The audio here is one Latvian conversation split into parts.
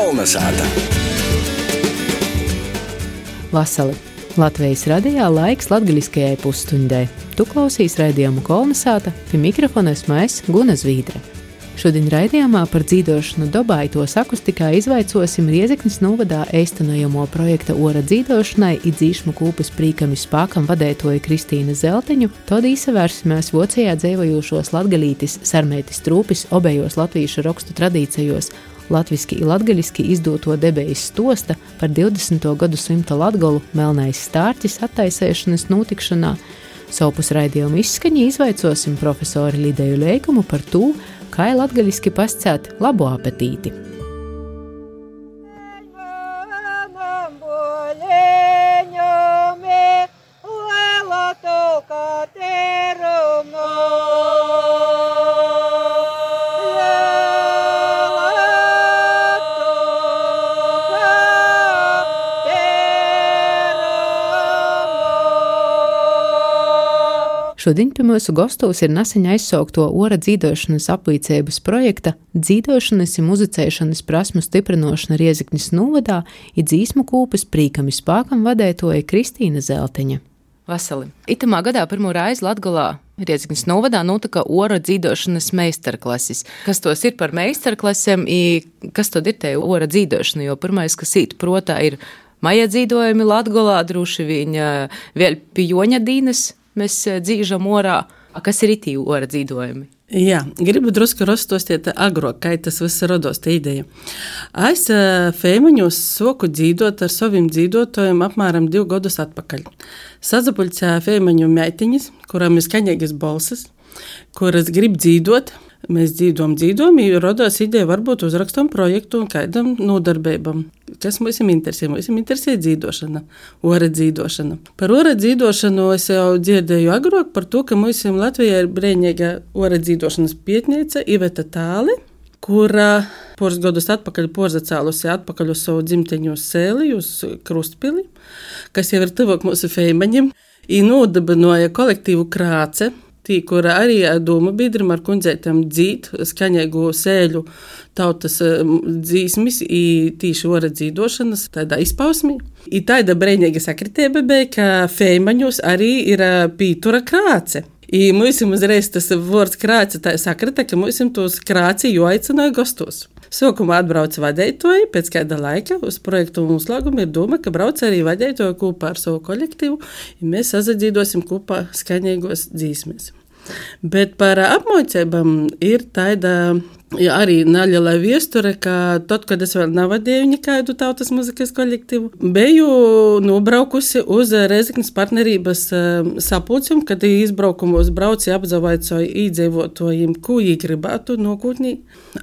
Kolnesāta. Vasali. Latvijas radijā laiks latgaļiskajai pusstundai. Tu klausīs raidījumu Kolnesāta, pie mikrofona esmu es, Guna Zvīdre. Šodien raidījumā par dzīdošanu Dobaitos akustikā izvaicosim Riezeknis novadā eistanojamo projekta Ora dzīdošanai i dzīšmu kūpes prīkami spākam vadētoja Kristīna Zelteņu, tad īsavērsimēs Vocejā dzeivojošos latgalītis Sarmētis Trūpis obējos latvīšu rokstu tradīcijos latviski i latgaļiski izdoto debejas stosta par 20. gadu simta latgolu Melnais stārķis attaisēšanas notikšanā. Savpus raidījumu izskaņi izvaicosim profesori Lideju Leikumu par tū, kā latgaļiski pascēt labu apetīti. Šodien pie mūsu gostos ir nesen aizsaukto Ora dzīdošanas apvīcības projekta dzīdošanas i muzicēšanas prasmu stiprinošana Riezeknis novadā i dzīsmu kūpes prīkami spākam vadētoja Kristīna Zelteņa. Vasali. Itamā gadā pirmo reizi Latgolā Riezeknis novadā notika Ora dzīdošanas meistarklases. Kas tos ir par meistarklasēm i kas tad ir te Ora dzīdošana? Jo pirmais, kas īt protā, ir maja dzīdojumi Latgolā, droši viņa vēl pie Joņa dīnes. Mēs dzīžam orā. Kas ir itī Ora dzīdojumi? Jā, gribu drusku rozstostīt agrāk, kā tas viss rados te ideja. Es Feimaņos soku dzīdot ar saviem dzīdotājiem apmēram 2 gadus atpakaļ. Sazapulcēja Feimaņu meitiņas, kurām ir skaņīgas balsis, kuras grib dzīdot. Mēs dzīdojam, jo rodās ideja varbūt uzrakstam projektu un kādam nodarbībam. Kas mums interesē? Mums interesē dzīdošana, Ora dzīdošana. Par Ora dzīdošanu es jau dzirdēju agrāk par to, ka mums Latvijā ir brīnīga Ora dzīdošanas pietniece Iveta Tāle, kura poras gadus atpakaļ porzacēlusi atpakaļ uz savu dzimteņu Sēli, uz Krustpili, kas jau ir tuvāk mūsu Feimaņiem, i nodabinoja kolektīvu Krāce, tī, kura arī doma biedrim ar kundzētam dzīt skaņēgu sēļu tautas dzīsmis i tīši Ora dzīdošanas tādā izpausmī. I tāda breinīga sakritība bija, ka Feimaņos arī ir pītura Krāce. I mums uzreiz tas vārds Krāce tā sakrita, ka mums tos Krāci joaicināja gastos. Sokumā atbrauc vadētoji, pēc kāda laika uz projektu noslēgumu ir doma, ka brauc arī vadētoji kopā ar savu kolektīvu, ja mēs sazadzīdosim kopā skaņīgos dzīsmes. Bet par apmācībām ir tāda arī neliela viesture, ka tad, kad es vēl navadēju nekādu tautas muzikas kolektīvu, biju nobraukusi uz Riezeknis partnerības sapulcēm, kad izbraukumos brauci apzavaicoju īdzīvotājiem, ko viņi gribētu nākotnē.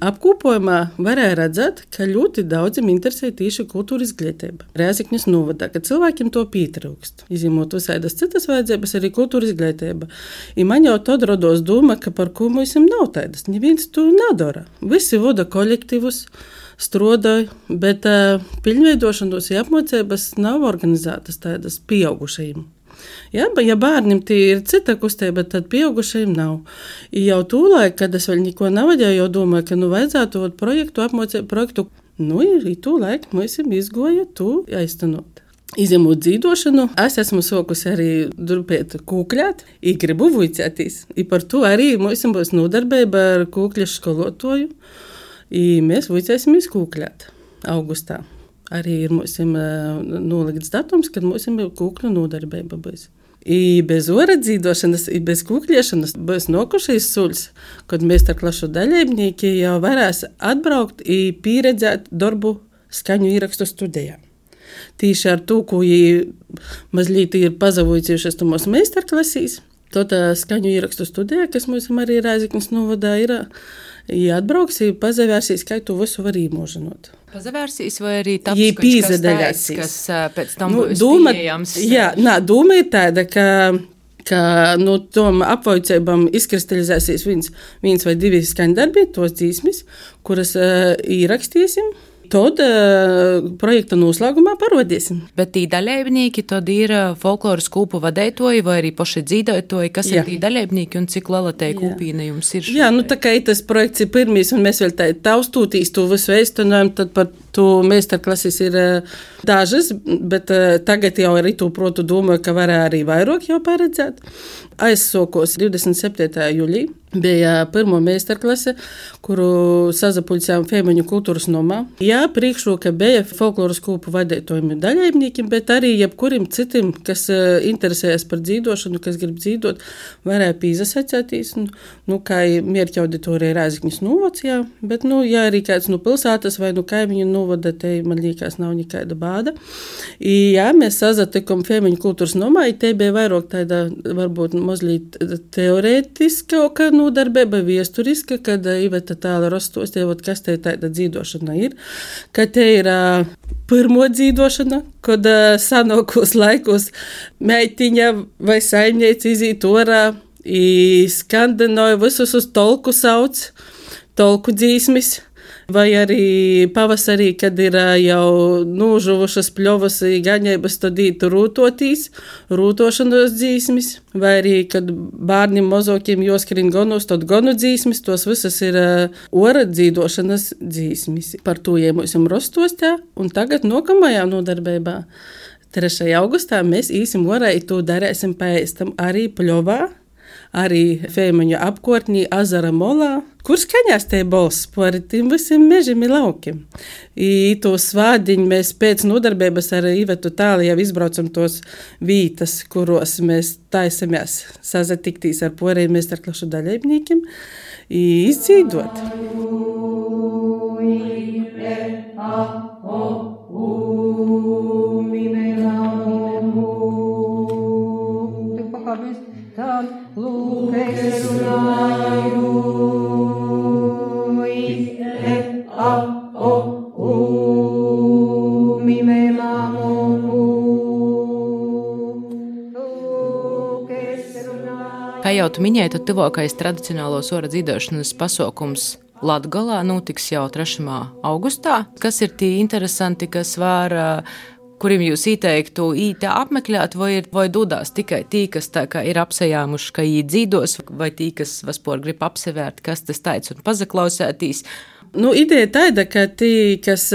Apkopojumā varēja redzēt, ka ļoti daudziem interesē tieši kultūras izglītība. Riezeknis novadā, ka cilvēkiem to pietrūkst. Izņemot visādas citas vajadzības, arī kultūras izglītība. I man jau tad rados doma, ka par ko mums nav tādas. Neviens to nedara. Visi vada kolektīvus, strodoja, bet piļņveidošanos i apmācības nav organizētas tādas pieaugušajiem. Ja bērniem tie ir cita kustība, tad pieaugušajiem nav. I jau tūlaik, kad es vēl neko navadēju, jau domāju, ka vajadzētu projektu. I tūlaik mēs izgoja to aiztenot. Izņemot dzīdošanu, es esmu sokusi arī durpēt kūkļāt, i gribu vuicētīs. I par to arī mums būs nodarbība ar kūkļašu skolotoju, i mēs vuicēsimies kūkļāt augustā. Arī ir mums nolikts datums, kad mums kūkļu nodarbība būs. I bez Ora dzīdošanas, i bez kūkļiešanas būs nokušais suļs, kad meistarklašu dalībnieki jau varēs atbraukt i pieredzēt darbu skaņu īrakstu studijā. Tīši ar to, ko mazliet ir pazavojušies to mūsu meistarklasīs, tad skaņu ierakstu studijā, kas mums arī Riezeknis novadā ir, atbrauks, pazavērsīs, kā to visu var īmožinot. Pazavērsīs vai arī taps kaut kas pēc tam būs pieejams? Jā, doma ir tāda, ka no tom apvaicībām izkristalizēsies viens vai 2 skaņdarbi, tos dzīsmis, kuras īrakstīsim. Tad projekta noslēgumā parodīsim. Bet tī dalībnieki tad ir folkloras kūpu vadētoji vai arī paši dzīdotoji, kas ir tī dalībnieki un cik liela te kūpīne jums ir? Jā, tā kā tas projekts ir pirmīs un mēs vēl tā taustūtīs to visu eistanojam, tad par Tu meistarklases ir dažas, bet tagad jau ar itu protu domāju, ka varēja arī vairāk jau paredzēt. Aizsokos 27. jūlijā. Bija pirmo meistarklase, kuru sazapulcējām Feimaņu kultūras nomā. Jā, priekšroka bija folkloras kūpu vadītojiem un daļaimniekiem, bet arī jebkurim citim, kas interesējas par dzīdošanu, kas grib dzīdot, varēja pīzasacētīs. Kā mierķa auditorija Rēzekņas novads, jā, bet, ja arī kāds pilsētas vai kaimiņu novada, te, man liekas, nav nekāda bāda. Jā, mēs sazatikam Feimaņu kultūras nomā, te bija vairāk tāda, varbūt, mazliet teorētiska, nodarbība viesturiska, kad Iveta tāla rostostievat, kas te tāda dzīdošana ir, ka te ir pirmo dzīdošana, kad sanākos laikos meitiņa vai saimnieci izīt orā, skandinoja visus uz tolku sauc, tolku dzīsmis. Vai arī pavasarī, kad ir jau nūžuvušas pļovas gaņēbas, tad ītu rūtošanos dzīsmis, vai arī, kad bārnim mozokiem joskrien gonus, tad gonu dzīsmis, tos visas ir ora dzīdošanas dzīsmis. Par to iemūsim rostostā, un tagad nokamajā nodarbībā 3. augustā mēs īsim orā, to darēsim paēstam arī pļovā, arī Feimaņu apkārtnī Azara molā, kur skaņās te balss par tiem visiem mežiem un laukiem. I to svādiņu mēs pēc nodarbības ar Ivetu tāli jau izbraucam tos vītas, kuros mēs taisamies sazatiktīs ar porējiem meistarklašu daļaimniekiem i izdzīdot. Kā jau tu minēji, tad tuvākais tradicionālos ora dzīdošanas pasaukums Latgolā notiks jau 3. augustā. Kas ir tie interesanti, kas var, kuriem jūs ieteiktu ītā apmeklēt, vai dodās tikai tī, kas tā kā ir apsajāmuši, ka īt dzīdos, vai tī, kas vispār grib apsevērt, kas tas taic un pazaklausētīs? Ideja tāda, ka tī, kas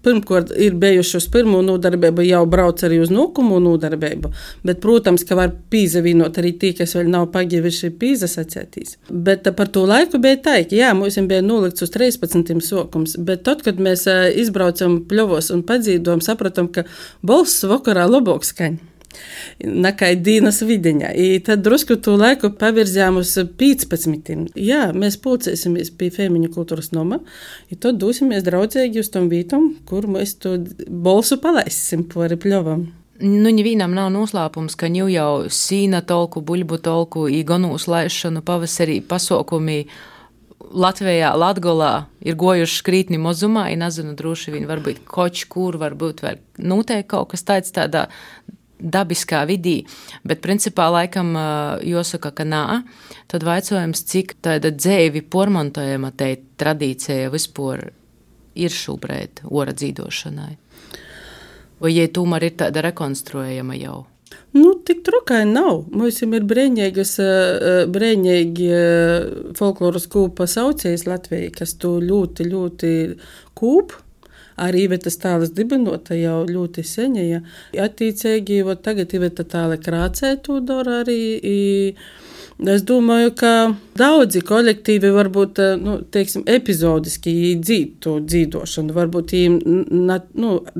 pirmkārt ir bijuši uz pirmo nodarbību, jau brauc arī uz nākamo nodarbību, bet, protams, ka var pīzavienot arī tī, kas vēl nav pagivuši pīzasacētīs. Bet par to laiku bija tā, ka jā, mums bija nolikts uz 13. sokums, bet tad, kad mēs izbraucam pļovos un padzīdojam, sapratam, ka balss vakarā labāk skaņ. Nakai dīnas vidiņā. I tad drusku to laiku pavirzījām uz 15. Jā, mēs pulcēsimies pie Feimaņu kultūras noma, i tad dosimies draudzīgi uz tom vītam, kur mēs to balsu palaisim pori pļovam. Nevienam nav noslēpums, ka jau sīna tolku, buļbu tolku, gonu uzlaišanu pavasarī pasaukumi Latvijā, Latgolā ir gojuši krītni mozumā, i nezinu, droši vien varbūt koč, kur varbūt vēl noteikti kaut kas tāds tādā dabiskā vidī, bet principā laikam jāsaka, ka nā, tad vaicojums, cik tāda dzēvi pormontojama te tradīcija vispār ir šobrīd ora dzīdošanai? Vai jai tomēr ir tāda rekonstruējama jau? Tik trukai nav. Mums ir brēņīgi folkloras kūpa saucējs Latvijai, kas to ļoti, ļoti kūp. Arī Ivetas tālas dibinota jau ļoti seņa. Ja. Attīcīgi, tagad Iveta tāla krācē to dara arī. Es domāju, ka daudzi kolektīvi varbūt, epizodiski dzīt to dzīdošanu, varbūt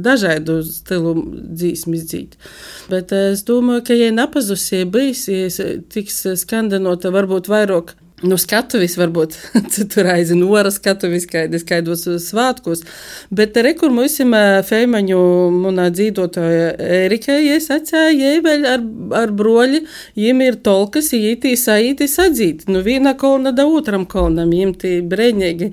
dažādu stilu dzīsmis dzīt. Bet es domāju, ka, ja nepazusie bijis, ja tiks skandinota varbūt vairāk skatuvis, varbūt citur aizinu ora skatuvis, kaidos svātkos, bet rekur mūsim Feimaņu munā dzīdotoja Erika, es atcēju, jai vēl ar broļi, jiem ir tolkas, jītī saītī sadzīt. Vīna kolna da otram kolnam, jiem tī brēņīgi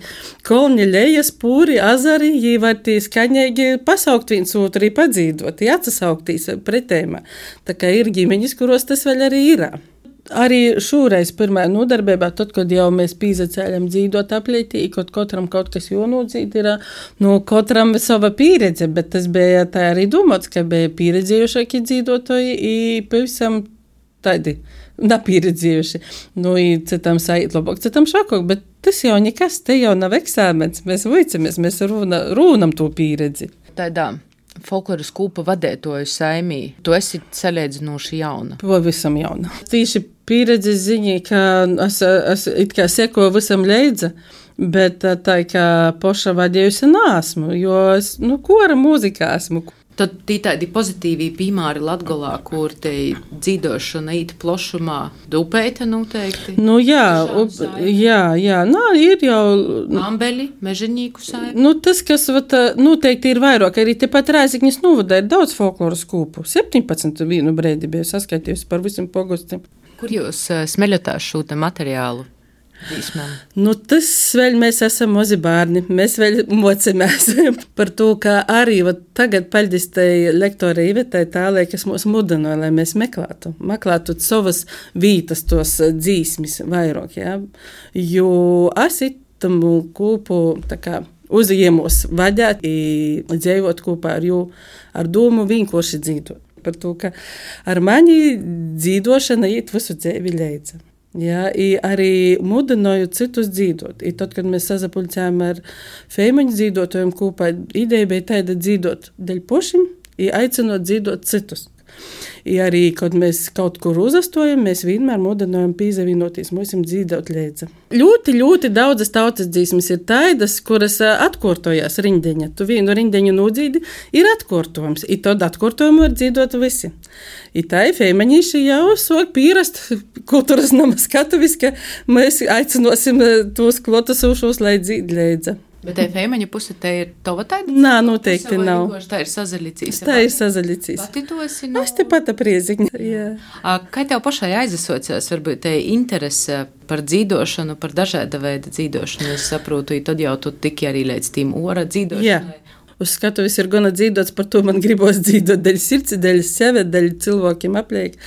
kolni lejas, pūri, azari, jī var tī skaņīgi pasaukt viens otru, padzīdot, atsasauktīs pretējumā. Tā kā ir ģimeņas, kuros tas vēl arī ir. Arī šūreiz pirmā nodarbībā, tad, kad jau mēs pīzacēļam dzīdot aplītī, kad katram kaut kas jānodzīt, ir katram sava pieredze, bet tas bija tā arī domāts, ka bija pieredzējušāki dzīdotoji i pavisam tādi napieredzējuši. Citam sait labāk, citam šokāk, bet tas jau nekas, te jau nav eksāmens, mēs vuicamies, mēs rūnam to pieredzi. Tādā folkloras kūpa vadētoju saimī, tu esi salīdzinoši jauna. Pavisam jauna. Tīši pieredzi ziņā, ka es it kā sekoju visam leidza, bet tā kā poša vadējusi nāsmu, jo es, kora mūzikā esmu. Tad tī tādi pozitīvi piemēri Latgolā, kur te dzīdošana īt plašumā, dupēta noteikti. Jā, ir jau. Ambeļi, mežaņīku saimi. Tas, kas noteikti ir vairāk, arī tepat Rēzeknis novada ir daudz folkloras kūpu. 17 vienu brēdi bija saskaitījusi par visiem pogostiem. Kur jūs smeļotās šo materiālu? Tas vēl mēs esam mazi bērni, mēs vēl mocamies par to, ka arī tagad paldies tai lektorai Ivetai tālē, kas mūs mudināja, lai mēs meklētu savas vītas, tos dzīsmis vairāk, jā. Jo es itamu kūpu tā kā uzņēmos vadēt i dzīvot kopā ar jū, ar domu vienkārši dzīvot. Par to, ka ar mani dzīvošana iet visu dzīvi leidza. Jā, arī mudināju citus dzīvot. Tad, kad mēs sazapulcējām ar feimaņu dzīvotojiem kopā, ideja bija tāda dzīvot dēļ pošim, aicinot dzīvot citus. Arī, kad mēs kaut kur uzastojam, mēs vienmēr mudinājam pīzavienoties, mūsim dzīvot leidza. Ļoti, ļoti daudzas tautas dzīsmes ir tādas, kuras atkārtojas rindeņa. Tu vienu rindeņu nodzīdi, ir atkārtojums. Tad atkārtojumu var dzīvot visi. Tā ir feimaņīši jau sāk pierast kultūras nama skatuvis, ka mēs aicinosim tos klotasušos, lai dzīd leidza. Bet tai feimaņa puse te ir tova taida? Nā, noteikti nav. Tā ir sazaļicīs. Tā ir sazaļicīs. Pati to esi Es te pata Prieziņa. Jā. Kā tev pašai aizasociās, varbūt te interese par dzīdošanu, par dažāda veida dzīdošanu? Es saprotu, tad jau tu tiki arī līdz tīm ora dzīdošanai. Jā. Uz skatuves ir gana dzīdots, par to man gribos dzīdot daļ sirds, daļ sevi, daļ cilvēkiem apliek.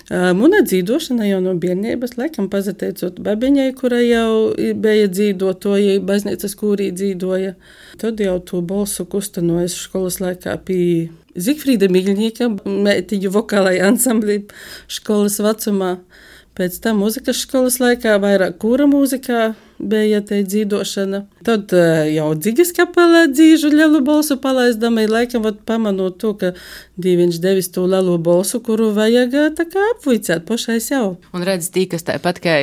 Muna dzīdošana jau no bērnības, laikam pazateicot babiņai, kura jau bija dzīdotoja, baznīcas kūrī dzīdoja. Tad jau to balsu kustanojas školas laikā pie Zigfrīda Miļņīka, mētiņu vokālai ansamblī školas vecumā. Pēc tam muzikas školas laikā vairāk kūra mūzikā bija te dzīdošana. Tad jau Dzigas kapelā dzīžu lielu balsu palaizdama, laikam pamanot to, ka Dīviņš devis to lielu balsu, kuru vajag tā kā apvicēt pašai sev. Un redz, tī, kas tāpat kā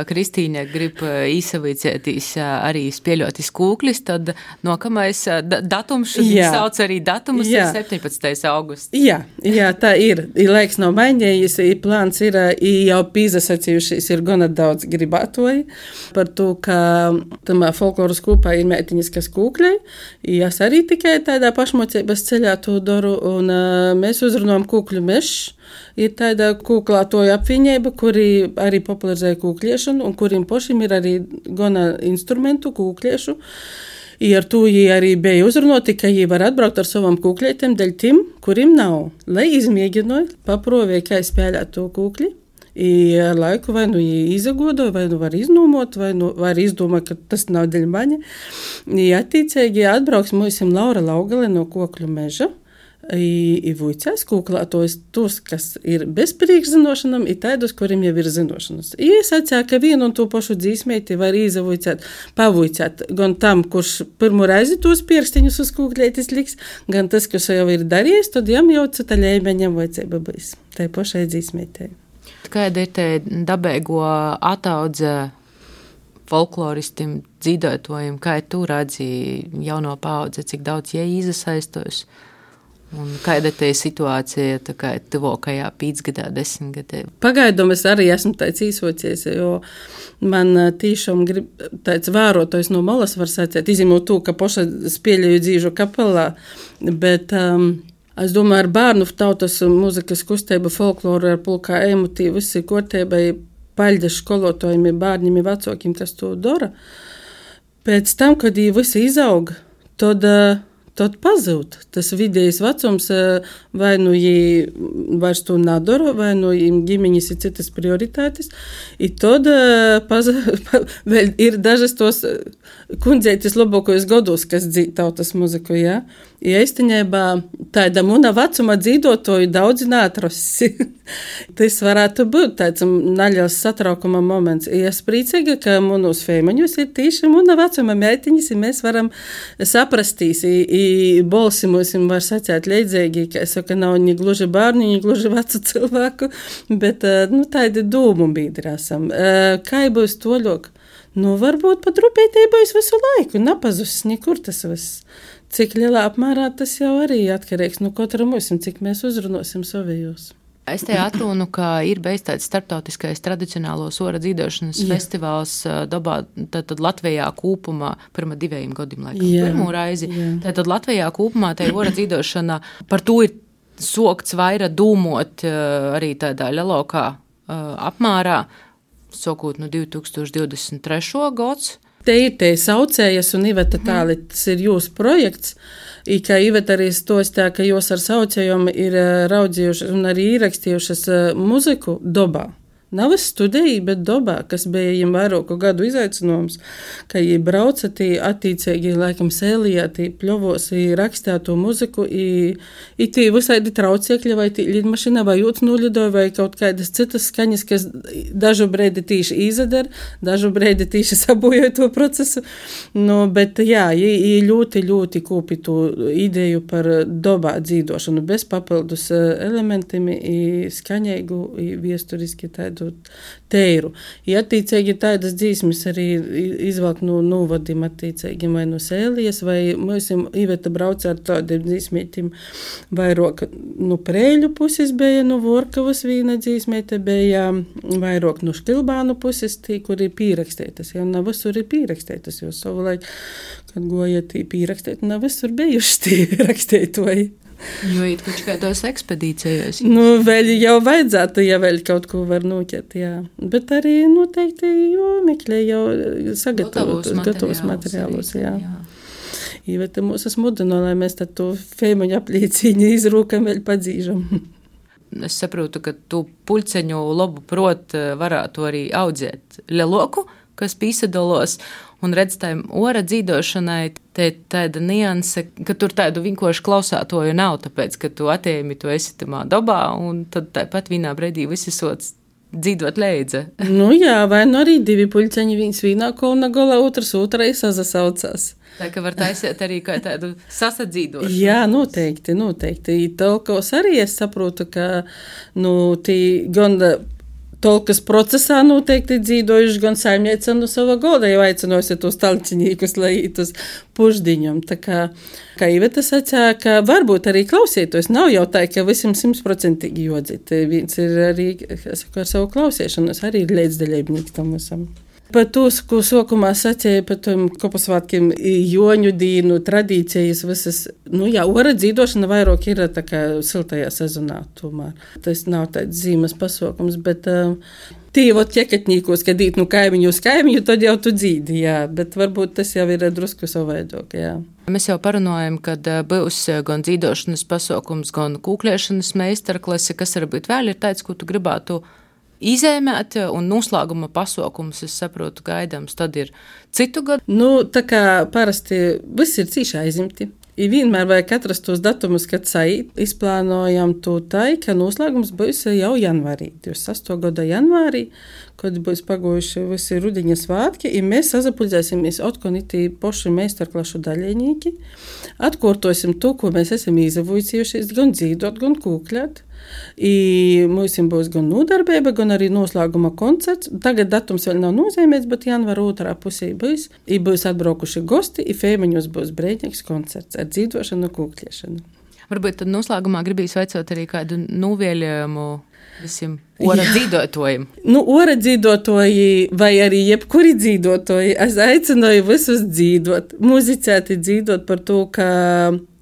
Kristīne grib īsavicētīs arī spieļotis kūklis, tad nokamais datums, šodien sauc arī datumus, ir 17. augusts. Jā, tā ir. Laiks nav mainījies, plāns ir, jau pīzasacījušies ir gana daudz gribātoji par to, ka tamā folkloras kūpā ir meitiņas, kas kūkļai. Es arī tikai tādā pašmocības ceļā to daru, un mēs uzrunājam kūkļu mešs. Ir tāda kūklātoja apvienība, kuri arī popularizēja kūkļiešanu, un kuriem pašiem ir arī gana instrumentu kūkļiešu. Ar to arī bija uzrunāti, ka viņi var atbraukt ar savam kūkļietiem dēļ tiem, kuriem nav. Lai izmēģināja, paprovēja, kā spēlēt to kūkļi. Ar laiku vai nu izagodoja, vai nu var iznūmot, vai nu var izdomāt, ka tas nav dēļ maņa. Attīcīgi atbrauks mūsim Laura Laugale no Kokļu meža. Vuicēs kūklātojus tos, kas ir bez priekšzinošanam, ir tādus, kuriem jau ir zinošanas. Es atsāju, ka vienu un to pašu dzīsmēti var izavuicēt, pavuicēt gan tam, kurš pirmo reizi tos pierkstiņus uz kūklētis liks, gan tas, kas jau ir darījis, tad jām jau cita ļēmeņam vajadzēja bijis. Tai pašai dzīsmētēji. Kāda ir te dabēgo ataudze folkloristim, dzīdotojiem, kā tu redzi jauno paudze, cik daudz jie izasaistos? Un kāda te situācija tā kā tuvākajā 5 gadā, 10 gadā? Pagaidām es arī esmu tāds īsocies, jo man tīšām grib tāds vērotojs no malas var sacēt, izņemot to, ka paša spēļēju dzīžu kapelā, bet es domāju, ar bērnu tautas muzikas kustību, folkloru, ar pulkā emotīvu, visi kortēbai paļģa školotājiem, bērņiem, vecākiem, kas to dara. Pēc tam, kad viņi visi izauga, tad tad pazūd. Tas vidējais vecums vai nu vairs to nedara, vai nu ģimeņas ir citas prioritātes. I tad vēl ir dažas tos kundzeitis labākajos gados, kas dzīd tautas muziku, jā. Ja īstenībā tāda muna vecuma dzīvotoju daudzi neatrasi. Tas varētu būt tāds naļels satraukuma moments. Es priecīga, ka mūnos feimaņos ir tīši muna vecuma meitiņas, ja mēs varam saprastīs, i bolsi mūsim var sacēt leidzīgi, ka es saku, nav ni gluži bārni, ni gluži vecu cilvēku, bet, tādi dūmu bīdri esam. Kā būs toļok? Varbūt pat rūpētī būs visu laiku, napazus nekur tas viss. Cik lielā apmērā tas jau arī atkarīgs no katra mūsim, cik mēs uzrunosim savējos. Es te atrunu, ka ir bijis tāds starptautiskais tradicionālo ora dzīvošanas festivāls Dobā, tad Latvijā kopumā, pirma 2 gadiem laikam, pirmo raizi. Tad Latvijā kopumā tai ora dzīvošana, par to ir sokts vaira dūmot arī tādā lielākā apmērā, sokot no 2023. gads. Te ir te saucējas un Iveta tāli, tas ir jūsu projekts, i kā Iveta arī stostā, ka jūs ar saucējiem ir raudzījušas un arī ierakstījušas muziku Dobā. Nav es studēju, bet Dobā, kas bija viņam vairāku gadu izaicinājums, ka viņi brauca tī attīcīgi, laikam, sēlijā, tī pļovos, rakstēto muziku, i tī visādi trauciekļi, vai tī lidmašina, vai jūtas nulidoja, vai kaut kādas citas skaņas, kas dažu breidi tīši izadara, dažu breidi tīši sabojoja to procesu. Bet jā, ļoti, ļoti kūpi to ideju par Dobā dzīvošanu, bez papildus elementiem, skaņēgu, viesturiski tādu teiru. Ja attīcīgi tādas dzīsmes arī izvalk no novadim attīcīgi vai no sēlijas, vai mūsim Iveta brauca ar tādiem dzīsmētim vairāk no Prēļu puses bija, no Vorkavas vīna dzīsmēte bija vairāk no Štilbānu puses, tī, kur ir pīrakstētas. Ja nav visur ir pīrakstētas, jo savulaik, kad goja tī pīrakstēt, nav visur bijuši tī rakstētoji. Jo ir kaut kādos ekspedīcijos. Vēl jau vajadzētu, ja vēl kaut ko var noķert, jā. Bet arī noteikti meklē jau gatavos materiālus, jā. Iveta mūs smudino, lai mēs tad to feimaņu apliecīņu izrūkam vēl padzīžam. Es saprotu, ka tu puļceņu labu prot varētu arī audzēt leloku, kas pīsadolos, un redz tām ora dzīvošanai, te tāda nianse, ka tur tādu vienkārši klausātoju nav, tāpēc, ka tu atējumi, tu esi tamā Dobā, un tad tāpat vienā brīdī visi sots dzīvot leidza. Jā, vai arī 2 puļceņi, viens vienā kolna galā, otrs otrai sazasaucās. Tā ka var taisīt arī kā tādu sasadzīdošanu. Jā, noteikti. Tolkos arī es saprotu, ka, tī gan tolkas procesā noteikti dzīvojuši gan saimniece no sava goda, jau aicinosi tos talcinīkus, lai tos puždiņam. Tā kā Iveta sacīja, ka varbūt arī klausītos. Nav jau tā, ka visam 100% jodzīt. Viens ir arī, ar savu klausīšanos, arī ir līdzdaļībnieks tam visam. Par to, ko sokumā sacīja par tiem kopasvātkiem, joņu dīnu, tradīcijas visas. Ora dzīvošana vairāk ir tā kā siltajā sezonā tomēr. Tas nav tāds zīmes pasākums, bet tīvot ķekatnīkos, kad īt kaimiņu uz kaimiņu, tad jau tu dzīdi, jā. Bet varbūt tas jau ir drusku savādāk, jā. Mēs jau parunājam, kad būs gan dzīvošanas pasākums, gan kūklēšanas meistarklase, kas varbūt vēl ir tāds, ko tu gribētu izēmēt, un noslēguma pasākums, es saprotu, gaidāms, tad ir citu gadu. Tā kā parasti viss ir cīši aizimti. Vienmēr vajag atrast tos datumus, kad izplānojam to tai, ka noslēgums būs jau janvārī, 28. gada janvārī, kad būs pagojuši visi rudiņa svātki, un mēs sazapuldzēsimies atkal itī poši meistarklašu daļiņīgi, atkārtosim to, ko mēs esam izavojusies, gan dzīvot, gan kūkļāt. Mums būs gan nodarbība, gan arī noslēguma koncerts. Tagad datums vēl nav nozīmēts, bet janvāra otrā pusē būs. Būs atbraukuši gosti, feimaņos būs brīvīgs koncerts ar dzīvošanu, kūkļiešanu. Varbūt tad noslēgumā gribīs vaicot arī kādu novēlējumu visiem ora dzīvotājiem. Ora dzīvotāji vai arī jebkuri dzīvotāji, es aicināju visus dzīvot, muzicēt, dzīvot par to, ka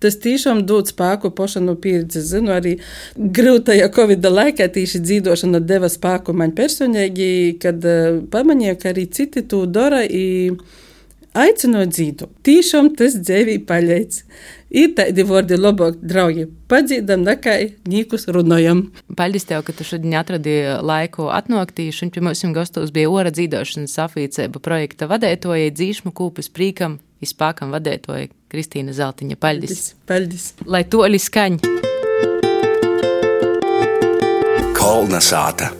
tas tiešām dod spēku paša no pieredzes. Zinu, arī grūtajā Covid laikā tieši dzīvošana deva spēku man personīgi, kad pamanīju, ka arī citi to dara. Aicinot dzīdu, tīšām tas dzēvī paļeic. Ir tādi vārdi labāk, draugi, padzīdam nekai nīkus runājam. Paldies tev, ka tu šodien atradi laiku atnoktī. Šodien pie mums gastos bija Ora dzīdošanas apvīcēba projekta vadētoja, dzīšmu kūpes prīkam, izpākam vadētoja Kristīna Zeltiņa. Paldies. Paldies. Lai toļi skaņ. Kolnesāta.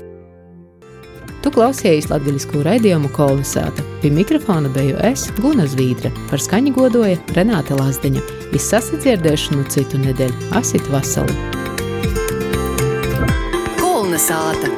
Tu klausījies latgaļisko raidījumu Kolnesāta. Pie mikrofona biju es, Guna Zvīdre. Par skaņu godoja Renāte Lazdeņa. Izsasadzirdēšanu citu nedēļu. Asit vasali. Kolnesāta.